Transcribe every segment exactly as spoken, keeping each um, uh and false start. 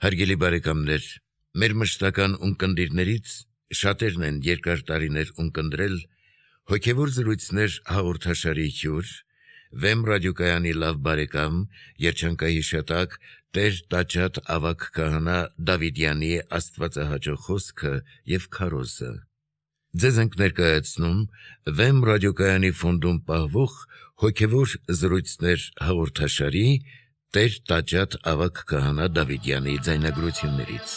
Հարգելի բարեկամներ, մեր մշտական ունկնդիրներից շատերն են երկար տարիներ ունկնդրել հոգևոր զրույցներ հաղորդաշարի հյուր, Վեմ ռադիոկայանի լավ բարեկամ, երջանկահիշատակ Տեր Տաճատ ավագ քահանա Դավիդյանի աստվածահաճո խոսքը և քարոզը։ Ձեզ ենք ներկայացնում Վեմ ռադիոկայանի ֆոնդում պահվող հոգևոր զրույցներ հաղորդաշարի Տեր Տաճատ ավագ քահանա Դավիդյանի ձայնագրություններից։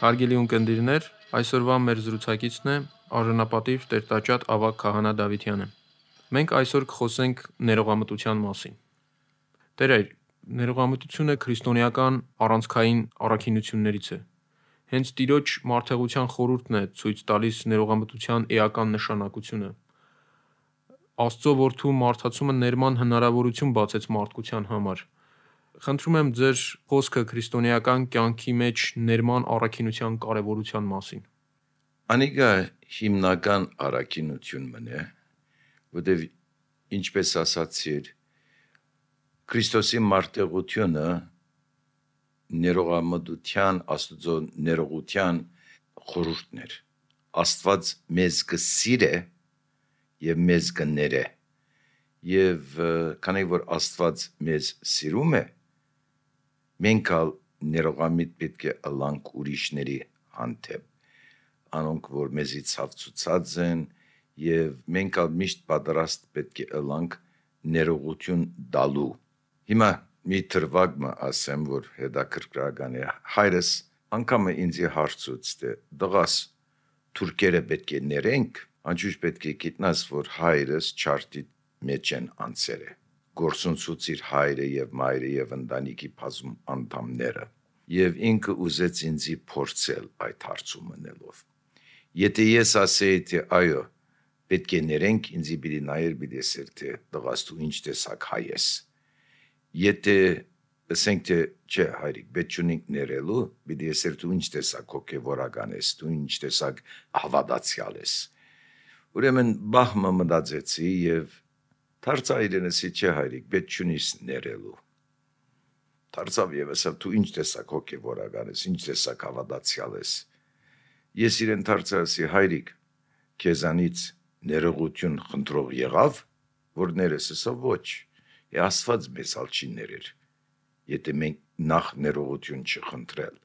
Հարգելի ունկնդիրներ, այսօրվա մեր զրուցակիցն է արժանապատիվ Տեր Տաճատ ավագ քահանա Դավիդյանը։ Մենք այսօր կխոսենք ներողամտության մասին։ Տեր, ներողամտությունը քրիստոնեական առանցքային առաքինություններից է։ Հենց Տիրոջ մարդեղության խորհուրդն է ցույց տալիս ներողամտության էական նշանակությունը։ Աստծո որդու մարդացումը ներման հնարավորություն բացեց մարդկության համար։ Խնդրում եմ ձեր խոսքը քրիստոնեական կյանքի մեջ ներման առաքինության կարևորության մասին։ Անիկա հիմնական առաքինություն մնե, որտեղ ինչպես ասացիր, Քրիստոսի մարտեղությունը ներողամտության, Աստծո ներողության խորհուրդն էր։ Աստված մեզ կսիրե եւ մեզ կներե։ Եվ քանի որ Աստված մեզ սիրում է, մենք ալ ներողամիտ պետք է ըլլանք ուրիշների հանդեպ, անոնք որ մեզի ցավցուցած են, եւ մենք ալ միշտ պատրաստ պետք է ըլլանք ներողություն դալու։ Հիմա մի թրվագ ասեմ, որ հետաքրքրական է։ Հայրս անգամը ինձ հարցուց թե դղաս թուրքերը պետք է ներենք, անջուր պետք է գիտնաս, որ հայրս չարտի մեջ են անցերը, գործունցուցիր հայրը եւ մայրը եւ ընտանիքի բազում անդամները, եւ ինքը ուզեց ինձի փորձել այդ հարցում մնելով։ Եթե ես ասեի թե այո, պետք է ներենք, ինձի պիտի նայեր պիտի ասեր թե դղաս դու ինչ տեսակ հայ ես։ Եթե ասենք թե չէ հայրիկ, պետք չունենք ներելու, պիտի ասեր դու ինչ տեսակ հոգեվորական ես, դու ինչ տեսակ հավատացյալ ես։ Ուրեմն բահմը մտածեցի եւ դարձա իրենսի չէ հայրիկ, պետք չունիս ներելու։ Դարձավ եւ ասավ դու ինչ տեսակ հոգեվորական ես, ինչ տեսակ հավատացյալ ես։ Ես իրեն դարձացի հայրիկ, քեզանից ներողություն խնդրող եղավ, որ ներես, ասա ոչ։ Է Աստված մեզ ալ չի ներեր, եթե մենք նախ ներողություն չխնդրել,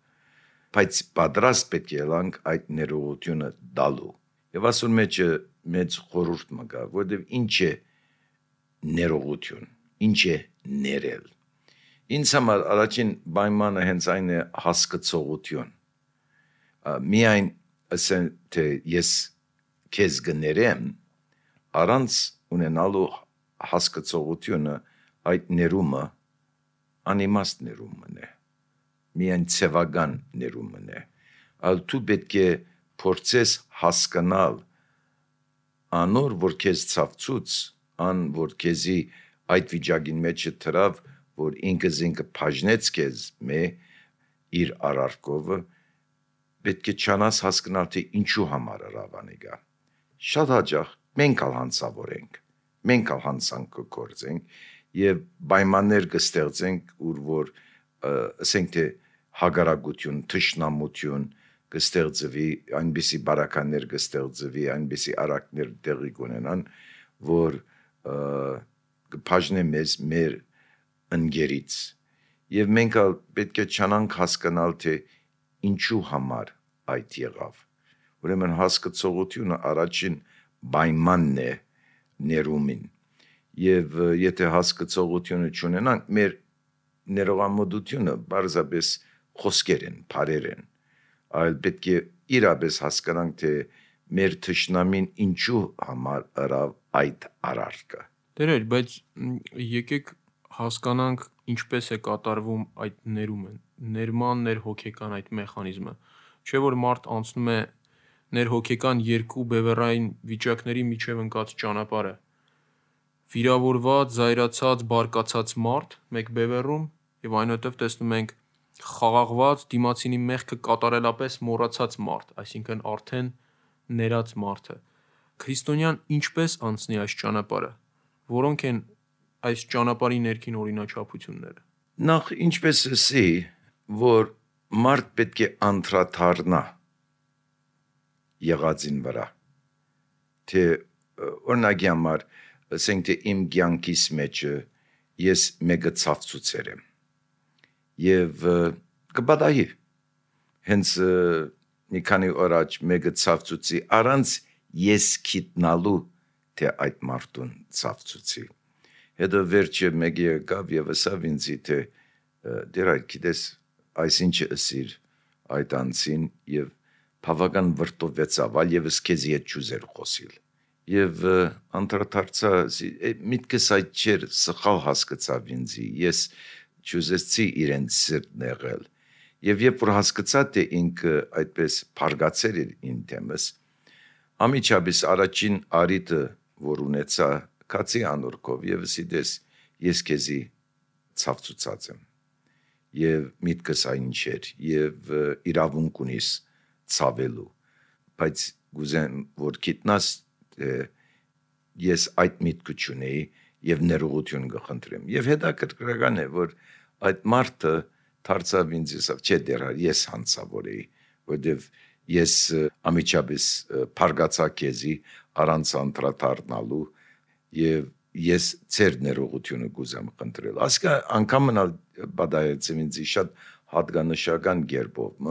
բայց պատրաստ պետք է ելանք այդ ներողությունը դալու։ Եվ ասուն մեջը մեծ խորհուրդ մը կա, որտեվ ինչ է ներողություն, ինչ է ներել։ Ինձ համար առաջին պայմանը հենց այն է հասկացողություն։ Միայն ասեն թե ես քեզ կներեմ, առանց ունենալու հասկացողությունը այդ ներումը անիմաստ ներումն է, միայն ցևական ներումն է, այլ դու պետք է փորձես հասկանալ անոր, որ քեզ ցավցուց, ան որ քեզի այդ վիճակին մեջ դրավ, որ ինքը զինքը բաժնեց քեզ մե իր արարքովը, պետք է չանաս հասկանալ թե ինչու համար հրավանիկա։ Շատ հաճախ մենք ալ հանցավոր ենք, մենք ալ հանցանք կգործենք եւ պայմաններ կստեղծենք, ուր որ ասենք թե հագարակություն, թշնամություն կստեղծվի, այնպիսի բարականներ կստեղծվի, այնպիսի արակներ տեղի կունենան, որ կբաժնե մեզ մեր ընկերից։ Եվ մենք ալ պետք է չանանք հասկանալ թե ինչու համար այդ եղավ։ Ուրեմն հասկացողությունը առաջին պայմանն է ներումին։ Եվ եթե հասկացողությունը չունենանք, մեր ներողամտությունը բարձրապես խոսքեր են, բառեր են, այլ պետք է իրապես հասկանանք թե մեր թշնամին ինչու համար ըրավ այդ արարքը։ Տերեր, բայց եկեք հասկանանք ինչպես է կատարվում այդ ներումը, ներման ներհոգեկան այդ մեխանիզմը։ Չէ որ մարդ անցնում է ներհոգեկան երկու բևեռային վիճակների միջև ընկած ճանապարհը։ Վիրավորված, զայրացած, բարկացած մարդ մեկ բևեռում եւ այնուհետեւ տեսնում ենք խաղաղված դիմացինի մեղքը կատարելապես մոռացած մարդ, այսինքն արդեն ներած մարդը։ Քրիստոնյան ինչպես անցնի այս ճանապարհը։ որոնք են այս ճանապարհի ներքին օրինաչափությունները։ Նախ ինչպես ասի, որ մարդ պետք է անդրադառնա եղածին վրա, թե օրինակի համար, ասենք թե իմ կյանքիս մեջ ես մեկը ցավցուցեր եմ եւ կբադայի հենց մի քանի օր առաջ մեկը ցավցուցի առանց ես գիտնալու թե այդ մարդուն ցավցուցի, հետո վերջը մեկը եկավ եւ ասավ ինձ թե դեր այդ գիտես այսինչը ասիր այդ անցին եւ բավական վրդովվեցավ այլ եւս քեզ հետ ճուզեր խոսիլ եւ անդրադարձա միտքս այդ չեր սխալ հասկացավ ինձի ես ճուզեցի իրեն սիրտ նեղել եւ երբ որ հասկացա թե ինքը այդպես փարգացել էր ին թեմս ամիջապես առաջին արիտը որ ունեցա կացի անորքով եւ ասիդես ես քեզի ցավցուցած եմ եւ միտքս այն չէր եւ իրավունք ունիս ցավելու բայց գուզեմ որ գիտնաս ես այդ միտքը չունեի եւ ներողություն կխնդրեմ եւ հետաքրքրական է որ այդ մարդը դարձավ ինձ ասավ չէ դեռ ես հանցավոր էի որովհետեւ ես ամիջապես փարգացա քեզի առանց անդրադառնալու եւ ես ծեր ներողությունը գուզեմ խնդրել ասկա անգամ մնալ բադայեցեմ ինձ շատ հատկանշական գերբով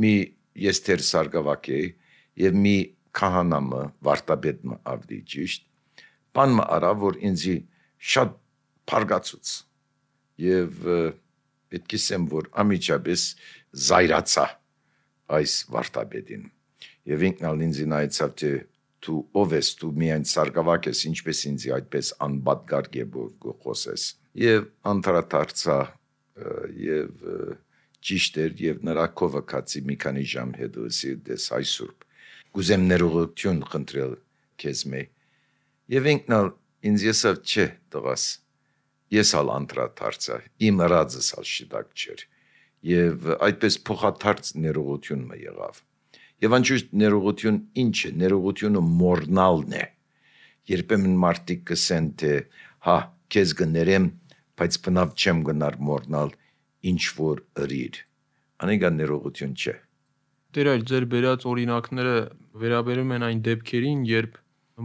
մի ես թեր սարգսակ էի եւ մի քահանամը վարտաբեդը ավդի ճիշտ բանը արա որ ինձի շատ փարգացուց եւ պետք է ասեմ որ ամիջապես զայրացա այս վարտաբեդին եւ ինքնալ ինձ նայեցավ թե դու ով ես դու միայն սարգսակ ես ինչպես ինձի այդպես անբադգար գեբով խոսես եւ անդրադարձա եւ ճիշտ էր եւ նրա կովը կացի մի քանի ժամ հետո ասի դες այսօր գուզեմ ներողություն խնդրել քեզ մե եւ ինքնալ ինձ եսավ չէ տղաս ես ալ անդրադարձա իմ ռածս ալ շիտակ չէր եւ այդպես փոխադարձ ներողություն մը եղավ եւ անշուշտ ներողություն ինչ է ներողությունը մորնալն է երբեմն մարդիկ կսեն թե հա քեզ կներեմ բայց բնավ չեմ գնար մորնալ ինչ որ ըրիր անիկա ներողություն չէ Տեր այլ ձեր բերած օրինակները վերաբերում են այն դեպքերին երբ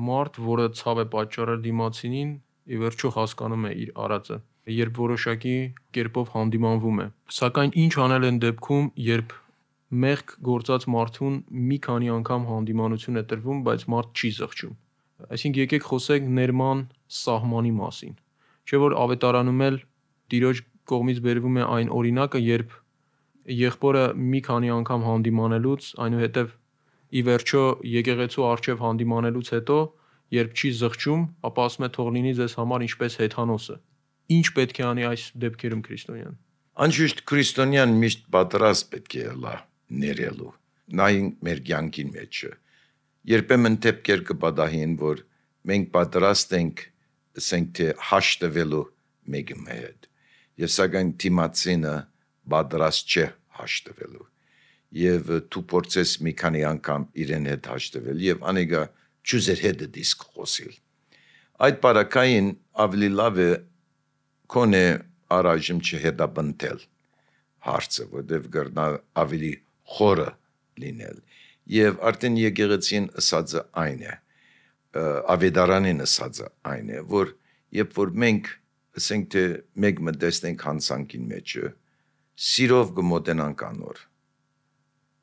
մարդ որը ցավ է պատճառել դիմացինին ի վերջո հասկանում է իր արածը երբ որոշակի կերպով հանդիմանվում է սակայն ինչ անել են դեպքում երբ մեղք գործած մարդուն մի քանի անգամ հանդիմանություն է տրվում բայց մարդ չի զղջում այսինքն եկեք խոսենք ներման սահմանի մասին չէ որ ավետարանում էլ տիրոջ կողմից բերվում է այն օրինակը երբ եղբորը մի քանի անգամ հանդիմանելուց այնուհետև ի վերջո եկեղեցու արչև հանդիմանելուց հետո երբ չի զղջում ապա ասում է թող լինի ձեզ համար ինչպես հեթանոսը ինչ պետք է անի այս դեպքերում քրիստոնյան անշուշտ քրիստոնյան միշտ պատրաստ պետք է լա ներելու նայն մեր կյանքին մեջ երբեմն դեպքեր կբադահին որ մենք պատրաստ ենք ասենք թե հաշտվելու մեկի հետ եւ սակայն դիմացինը պատրաստ չէ հաշտվելու եւ դու փորձես մի քանի անգամ իրեն հետ հաշտվել եւ անիկա ճուզեր հետ դիսկ խոսիլ այդ բարակային ավելի լավ է կոնե առայժմ չհետաբնտել հարցը որտեվ գրնա ավելի խորը լինել եւ արդեն եկեղեցին ասածը այն է ավետարանին ասածը այն է որ երբ որ մենք ասենք թե մեկ մտածենք հանցանքին մեջը սիրով գմոտենանք անոր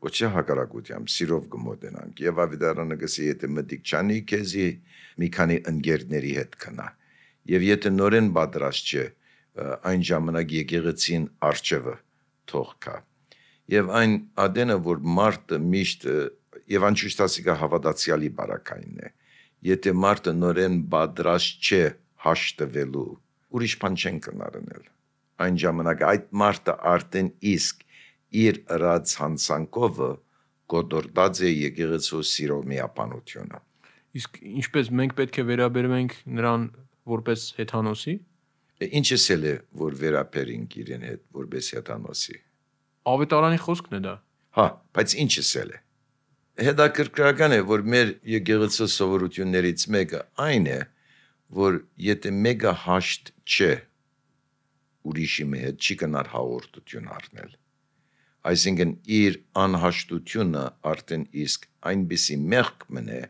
ոչ է հակարակությամբ սիրով գմոտենանք եւ ավետարանը գսի եթե մտիկ չանի քեզի մի քանի ընկերների հետ կնա եւ եթե նորեն պատրաստ չէ այն ժամանակ եկեղեցին արչեվը թող կա եւ այն ադենը որ մարդը միշտ եւ անշուշտ ասիկա հավատացյալի բարակային է եթե մարդը նորեն պատրաստ չէ հաշտվելու ուրիշ բան չեն կնարնել այն ժամանակ այդ մարդը արդեն իսկ իր ռած հանցանքովը կոդորդած է եկեղեցու սիրո միապանությունը իսկ ինչպես մենք պետք է վերաբերվենք նրան որպես հեթանոսի ինչս էլ է որ վերաբերենք իրեն հետ որպես հեթանոսի ավետարանի խոսքն է դա հա բայց ինչս էլ է հետաքրքրական է որ մեր եկեղեցու սովորություններից մեկը այն է որ եթե մեկը հաշտ չէ ուրիշի հետ, չի կնար հաղորդություն առնել։ Այսինքն իր անհաշտությունը արդեն իսկ այնպիսի մեղք մնե,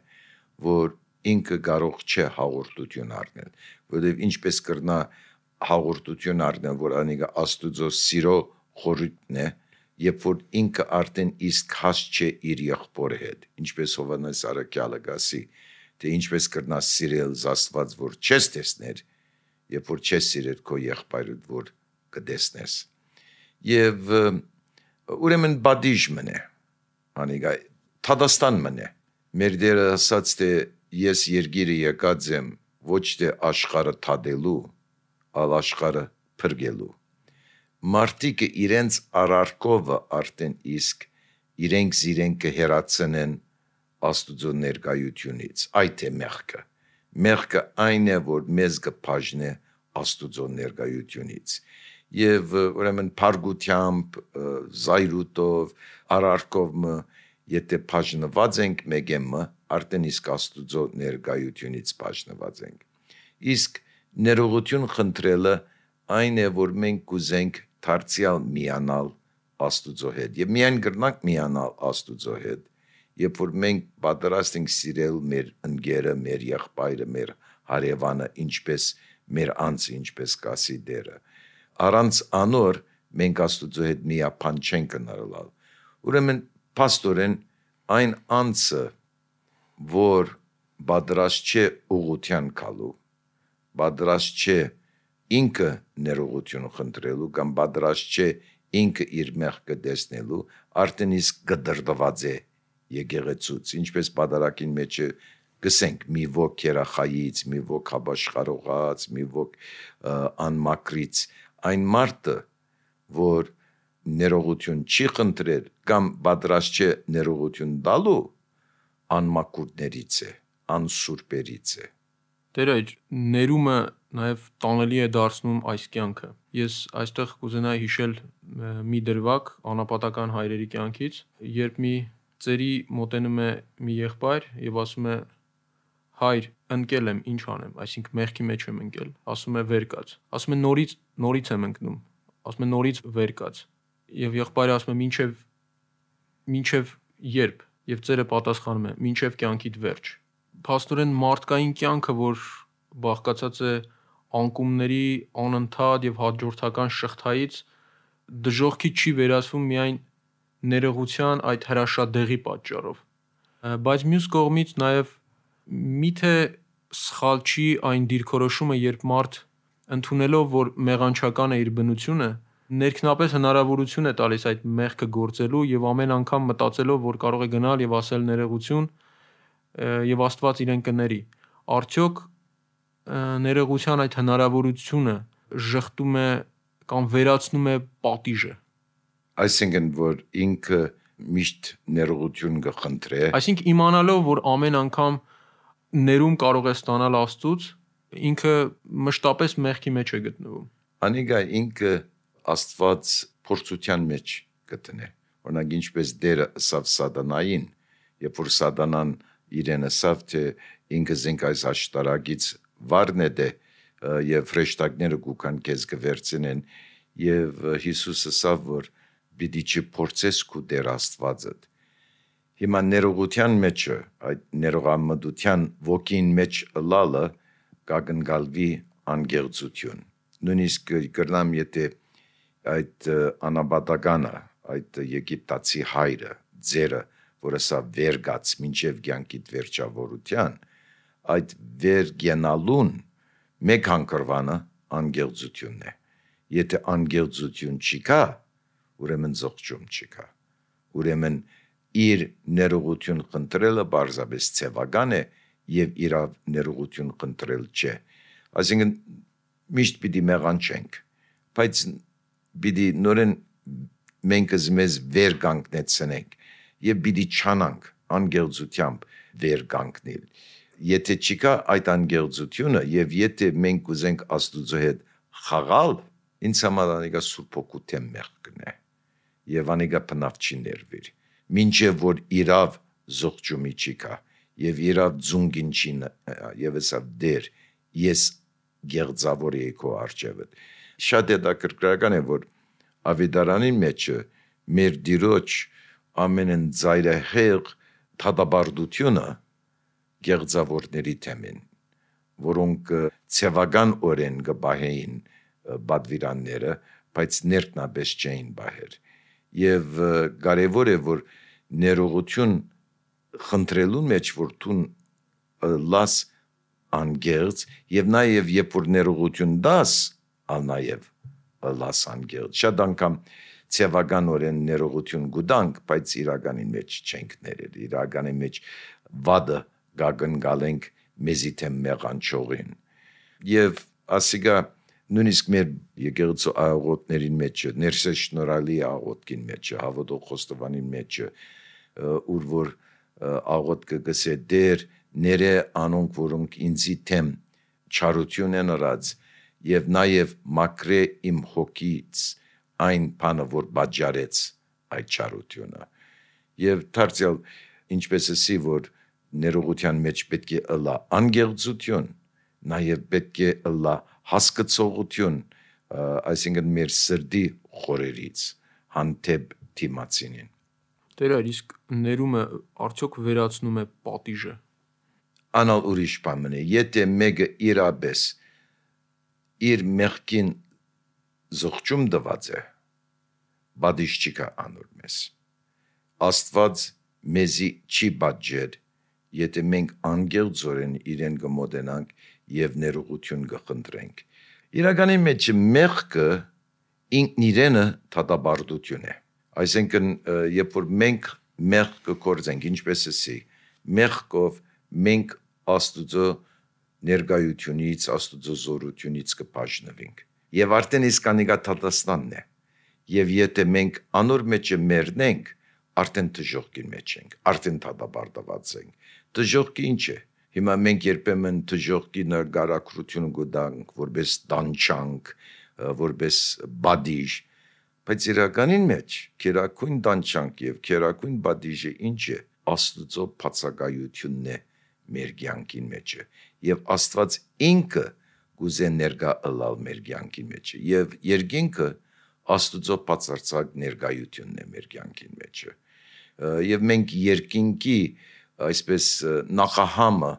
որ ինքը կարող չէ հաղորդություն առնել, որովհետև ինչպես կրնա հաղորդություն առնել, որ անիկա Աստուծո սիրո խորհուրդն է, երբ որ ինքը արդեն իսկ հաստ չէ իր եղբորի հետ, ինչպես Հովհաննես Առաքյալը գասի, թե ինչպես կրնա սիրել Աստված, որ չես տեսներ, երբ որ չես սիրել քո եղբայրդ, որ կտեսնես։ Եվ ուրեմն բադիժ մնե, անիկա թադաստան մնե։ Մեր Տերը ասաց, թե ես երկիրը եկած եմ ոչ թե աշխարհը թադելու, այլ աշխարհը փրկելու։ Մարդիկը իրենց արարքովը արդեն իսկ իրենք զիրենք կհերացնեն Աստուծո ներկայությունից, այդ է մեղքը։ Մեղքը այն է, որ մեզ կբաժնե Աստուծո ներկայությունից։ Եվ ուրեմն փարգությամբ, զայրույթով, արարքով եթե բաժնված ենք մեկը, արդեն իսկ Աստուծո ներկայությունից բաժնված ենք։ Իսկ ներողություն խնդրելը այն է, որ մենք կուզենք դարձյալ միանալ Աստուծո հետ։ Եվ միայն կրնանք միանալ Աստուծո հետ, երբ որ մենք պատրաստ ենք սիրել մեր ընկերը, մեր եղբայրը, մեր հարևանը, ինչպես մեր անձը, ինչպես կասի Տերը։ Առանց անոր մենք Աստուծո հետ միապան չենք կնարալ։ Ուրեմն փաստորեն այն անձը, որ պատրաստ չէ ուղղության գալու, պատրաստ չէ ինքը ներողություն խնդրելու կամ պատրաստ չէ ինքը իր մեղքը տեսնելու, արդեն իսկ կդրդված է եկեղեցուց, ինչպես պատարագին մեջ գսենք մի ոք երախայից, մի ոք հաբաշխարողած, մի ոք անմակրից, այն մարդը, որ ներողություն չի խնդրել կամ պատրաստ չէ ներողություն տալու, անմակուրներից է, անսուրբերից է։ Տեր այր, ներումը նաև տանելի է դարձնում այս կյանքը։ Ես այստեղ կուզենայի հիշել մի դրվագ անապատական հայրերի կյանքից, երբ մի ծերի մոտենում է մի եղբայր եւ ասում է. հայր, ընկել եմ, ինչ անեմ, այսինքն մեղքի մեջ եմ ընկել, ասում է վեր կաց, ասում է նորից, նորից եմ ընկնում, ասում է նորից վեր կաց, եւ եղբայրը ասում է մինչեւ մինչեւ երբ, եւ ծերը պատասխանում է մինչեւ կյանքիդ վերջ։ Փաստորեն մարդկային կյանքը, որ բաղկացած է անկումների անընդհատ եւ հաջորդական շղթայից, դժողքի չի վերածվում միայն ներողության այդ հրաշադեղի պատճառով, բայց մյուս կողմից նաեւ միթե սխալ չի այն դիրքորոշումը, երբ մարդ ընդունելով, որ մեղանչական է իր բնությունը, ներքնապես հնարավորություն է տալիս այդ մեղքը գործելու եւ ամեն անգամ մտածելով, որ կարող է գնալ եւ ասել ներողություն եւ Աստված իրեն կների։ Արդյոք ներողության այդ հնարավորությունը ժխտում է կամ վերացնում է պատիժը։ Այսինքն, որ ինքը միշտ ներողություն կխնդրե։ Այսինքն իմանալով, որ ամեն անգամ ներում կարող է ստանալ Աստծուց, ինքը մշտապես մեղքի մեջ է գտնվում։ Անիկա ինքը Աստված փորձության մեջ գտնե։ Օրինակ ինչպես Տերը ասավ Սատանային, երբ որ Սատանան իրեն ասավ, թե ինքը զենք այս աշտարակից վարն է դե եւ հրեշտակները գուքան քեզ կվերցնեն, եւ Հիսուս ասավ, որ պիտի չփորձես քու Տեր Աստվածդ։ Հիմա ներողության մեջը, այդ ներողամտության ոգին մեջ լալը կագնկալվի անգեղծություն։ Նույնիսկ կրնամ, եթե այդ անաբատականը, այդ եգիպտացի հայրը, ձերը, որը սա վերգաց մինչև կյանքիդ վերջավորության, այդ վերգենալուն մեկ հանգրվանը անգեղծությունն է։ Եթե անգեղծություն չի կա, ուրեմն զղջում չի կա։ Ուրեմն իր ներողություն խնդրելը բարձրապես ցևական է եւ իրավ ներողություն խնդրել չէ։ Այսինքն միշտ պիտի մեղանչենք, բայց պիտի նորեն մենք մեզ վեր կանգնեցնենք եւ պիտի չանանք անգեղծությամբ վեր կանգնել։ Եթե չկա այդ անգեղծությունը եւ եթե մենք ուզենք Աստուծո հետ խաղալ, ինձ համար անիկա Սուրբ Օգուտեմ մեղքն է եւ անիկա բնավ չի ներվիր։ Մինչև որ իրավ զղջումի չի կա եւ իրավ ձունգին չի եւ հեսա դեր ես գեղձավոր եի քո արջևդ։ Շատ հետաքրքրական է, որ Ավետարանի մեջը մեր Տիրոջ ամենն ծայրահեղ թադաբարդությունը գեղձավորների թեմին, որոնք ցևական օրեն կբահեին բադվիրանները, բայց ներքնաբես չէին բահեր։ Եվ կարևոր է, որ ներողություն խնդրելու մեջ, որ դու լաս անգեղծ, եւ նաեւ երբ որ ներողություն դաս, ալ նաեւ լաս անգեղծ։ Շատ անգամ ցևական օրեն ներողություն գուտանք, բայց իրականի մեջ չենք ներել, իրականի մեջ վադը գագնգալենք մեզի թեմ մեղանչողին։ Եւ ասիգա նույնիսկ մեր եկեղեցու աղոթներին մեջ, ներսե շնորհալի աղոթքին մեջ, հավատող խոստովանին մեջ, ուր որ աղոթքը գսե դեր ները անոնք, որոնք ինձի թեմ չարություն են արած, եւ նաեւ մակրե իմ հոգից այն բանը, որ բաժարեց այդ չարությունը։ Եվ դարձյալ ինչպես էսի, որ ներողության մեջ պետք է ըլլա անգեղծություն, նաեւ պետք է ըլլա հասկացողություն, այսինքն մեր սրդի խորերից հանդեպ դիմացինին։ Տեր այր, իսկ ներումը արդյոք վերացնում է պատիժը։ Անալ ուրիշ բան է, եթե մեկը իրապես իր մեղքին զղջում դված է, բադիշ չի կա անոր մեզ։ Աստված մեզի չի բաժեր, եթե մենք անգեղծորեն իրեն կմոտենանք եւ ներողություն կխնդրենք։ Իրականի մեջ մեղքը ինքն իրենը թադաբարդություն է։ Այսինքն, երբ որ մենք մեղք կգործենք, ինչպես էսի, մեղքով մենք Աստուծո ներկայությունից, Աստուծո զորությունից կբաժնվենք։ Եվ արդեն իսկ անիկա թատաստանն է։ Եվ եթե մենք անոր մեջը մեռնենք, արդեն դժոխքի մեջ ենք, արդեն թադաբարդված ենք։ Դժոխքը ինչ է։ Հիմա մենք երբեմն դժոխքի նկարագրություն կտանք, որպես դանչանք, որպես բադիժ, բայց իրականին մեջ քերակույն դանչանք եւ քերակույն բադիժը ինչ է։ Աստուծո բացակայությունն է մեր կյանքին մեջը, եւ Աստված ինքը գուզե ներկա ըլալ մեր կյանքին մեջը, եւ երկինքը Աստուծո բացարձակ ներկայությունն է մեր կյանքին մեջը, եւ մենք երկինքի այսպես նախահամը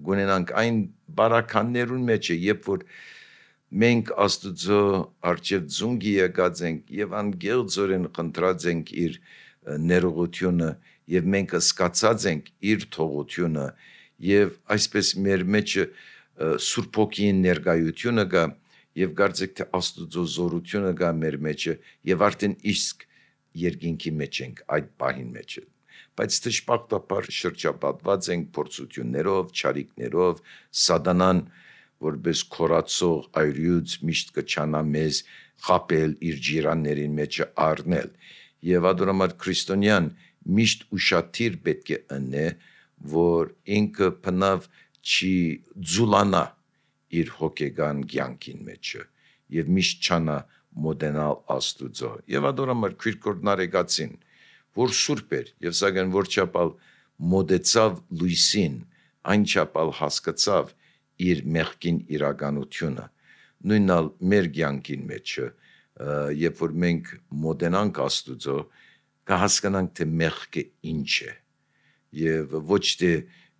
գունենանք այն բարականներուն մեջը, երբ որ մենք Աստուծո արչև ձունգի եկած ենք եւ անգեղծորեն խնդրած ենք իր ներողությունը եւ մենք սկացած ենք իր թողությունը եւ այսպես մեր մեջը Սուրբ Հոգին ներկայությունը կա եւ կարծեք թե Աստուծո զորությունը կա մեր մեջը եւ արդեն իսկ երկինքի մեջ ենք այդ պահին մեջը, բայց դժբախտաբար շրջապատված ենք փորձություններով, չարիքներով, սատանան որպես քորացող այրյուց միշտ կչանա մեզ խապել իր ջիրաններին մեջը առնել եւ ադորամար քրիստոնյան միշտ ուշադիր պետք է ընե, որ ինքը բնավ չի ձուլանա իր հոգեգան կյանքին մեջը եւ միշտ չանա մոդենալ Աստուծո եւ ադորամար քրկորնարեգացին, որ սուրբ էր եւ սակայն որ չափալ մոդեցավ լույսին, այն չափալ հասկացավ իր մեղքին իրականությունը, նույնալ մեր կյանքին մեջը, երբ որ մենք մոդենանք Աստուծո, կհասկանանք թե մեղքը ինչ է եւ ոչ թե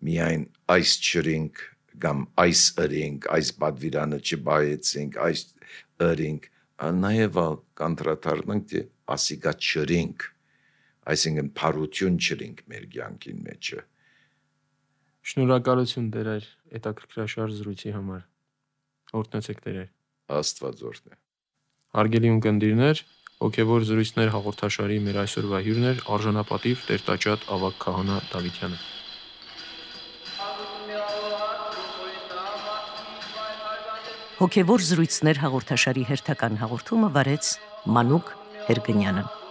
միայն այս չրինք կամ այս ըրինք, այս բադվիրանը չբայեցինք, այս ըրինք, նաեւ կանտրատարնանք թե ասիկա չրինք, այսինքն փարություն չրինք մեր կյանքին մեջը։ Շնորհակալություն Տեր այր հետաքրքրաշարժ զրույցի համար։ Օրհնեցեք Տեր այր։ Աստված օրհնե։ Հարգելի ունկնդիրներ, հոգևոր զրույցներ հաղորդաշարի մեր այսօրվա հյուրն էր արժանապատիվ Տեր-Տաճատ Ավագ քահանա Դավիթյանը։ Հոգևոր զրույցներ հաղորդաշարի հերթական հաղորդումը վարեց Մանուկ Հերգնյանը։